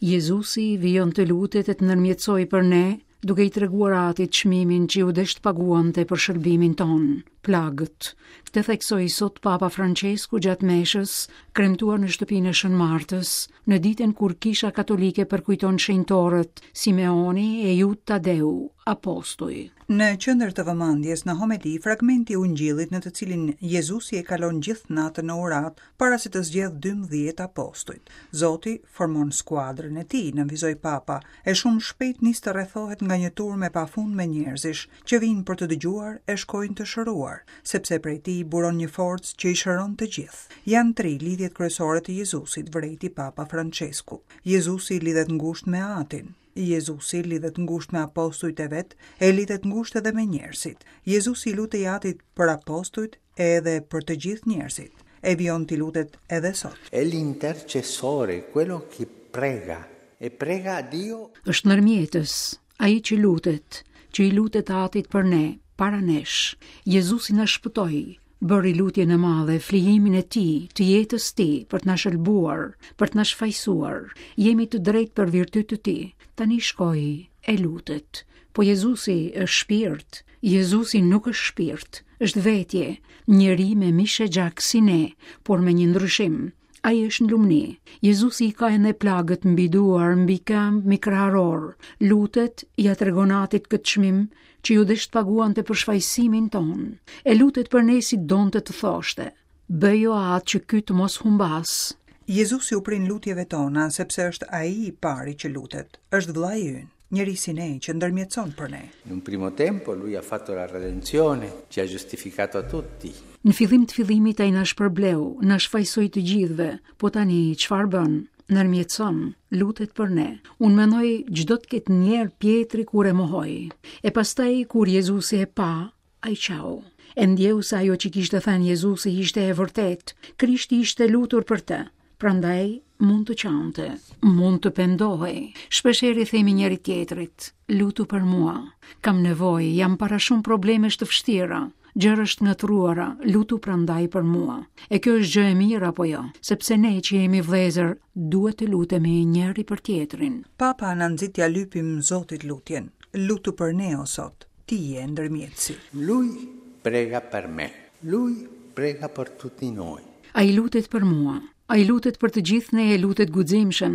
Jezusi vijon të lutet e të ndërmjetësojë për ne, duke i treguar Atit çmimin që iu desh të paguante për shëlbimin tonë, plagët. Këtë theksoi sot Papa Françesku gjatë meshës, kremtuar në shtëpinë e Shën Martës, në ditën kur Kisha Katolike përkujton shenjtorët Simeoni e Juda Tadeu, apostuj. Në qendër të vëmendjes në homeli, fragmenti i Ungjillit në të cilin Jezusi e kalon gjithë natën në uratë para se të zgjedhë 12 apostujt. Zoti formon skuadrën e tij, nënvizoi Papa, e shumë shpejt nis të rrethohet nga një turmë e pafundme njerëzish, që vijnë për të dëgjuar e shkojnë të shëruar, sepse prej tij buron një forcë që i shëron të gjithë. Janë tri lidhjet kryesore të Jezusit, vërejti Papa Françesku. Jezusi lidhet ngushtë me Atin. Jezusi lidhet ngushtë me apostujt e vet e lidhet ngushtë edhe me njerëzit. Jezusi i lutej Atit për apostujt edhe për të gjithë njerëzit. E vijon t'i lutet edhe sot. È l'intercessore, quello che prega e prega a Dio. Është ndërmjetës, ai që lutet, që i lutet Atit për ne, para nesh. Jezusi na shpëtoi, bëri lutjen e madhe, flijimin e tij, të jetës tij, për të na shëlbuar, për të na shfajësuar. Jemi të drejtë për virtyt të tij. Tani shkoi e lutet. Po Jezusi është shpirt, Jezusi nuk është shpirt, është vetje, njeri me mish e gjak si ne, por me një ndryshim. Ai është në lumni. Jezusi i ka ende plagët mbi duar, mbi këmbë, mbi kraharor. Lutet, ia tregon Atit këtë çmim që iu desh të paguante për shfajësimin tonë. E lutet për ne si donte të thoshte. Bëj o Atë që ky të mos humbasë. Jezusi u prin lutjeve tona, sepse është ai i pari që lutet. Është vëllai ynë, njeri si ne që ndërmjetëson për ne. In un primo tempo lui ha fatto la redenzione, ci ha giustificato a tutti. Në fillim të fillimit ai na shpërbleu, na shfajësoi të gjithëve, po tani çfarë bën? Ndërmjetëson, lutet për ne. Unë mendoj ç'do të ketë ndjerë Pjetri kur e mohoi. E pastaj kur Jezusi e pa, Ai qau. E ndjeu se ajo që kishte thënë Jezusi ishte e vërtetë. Krishti ishte lutur për të. Prandaj mund të qante, mund të pendohej. Shpeshherë i themi njëri-tjetrit, lutu për mua. Kam nevojë, jam para shumë problemesh të vështira. Gjërash të ngatërruara, lutu prandaj për mua. E kjo është gjë e mirë apo jo? Sepse ne që jemi vëllezër, duhet të lutemi njëri për tjetrin. Papa na nxit t'ia lypim Zotit lutjen. Lutu për ne o Zot. Ti je ndërmjetësi. Lui prega per me. Lui prega per tutti noi. Ai lutet për mua. Ai lutet për të gjithë ne e lutet guximshëm,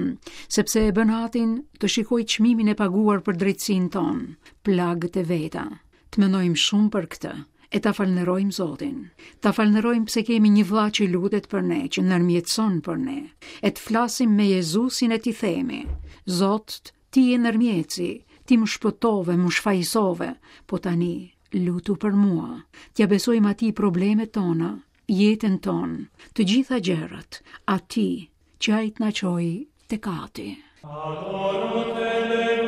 sepse e bën Atin të shikojë çmimin e paguar për drejtësinë tonë, plagët e veta. Të mendojmë shumë për këtë e ta falënderojmë Zotin. Ta falënderojmë pse kemi një vëlla që lutet për ne, që ndërmjetëson për ne. E të flasim me Jezusin e t'i themi: Zot, Ti je ndërmjetësi, ti më shpëtove, më shfajësove, po tani lutu për mua. T'ia besojmë atij problemet tona, jetën tonë, të gjitha gjërat, atij që ai të na çojë tek Ati. Adoro te.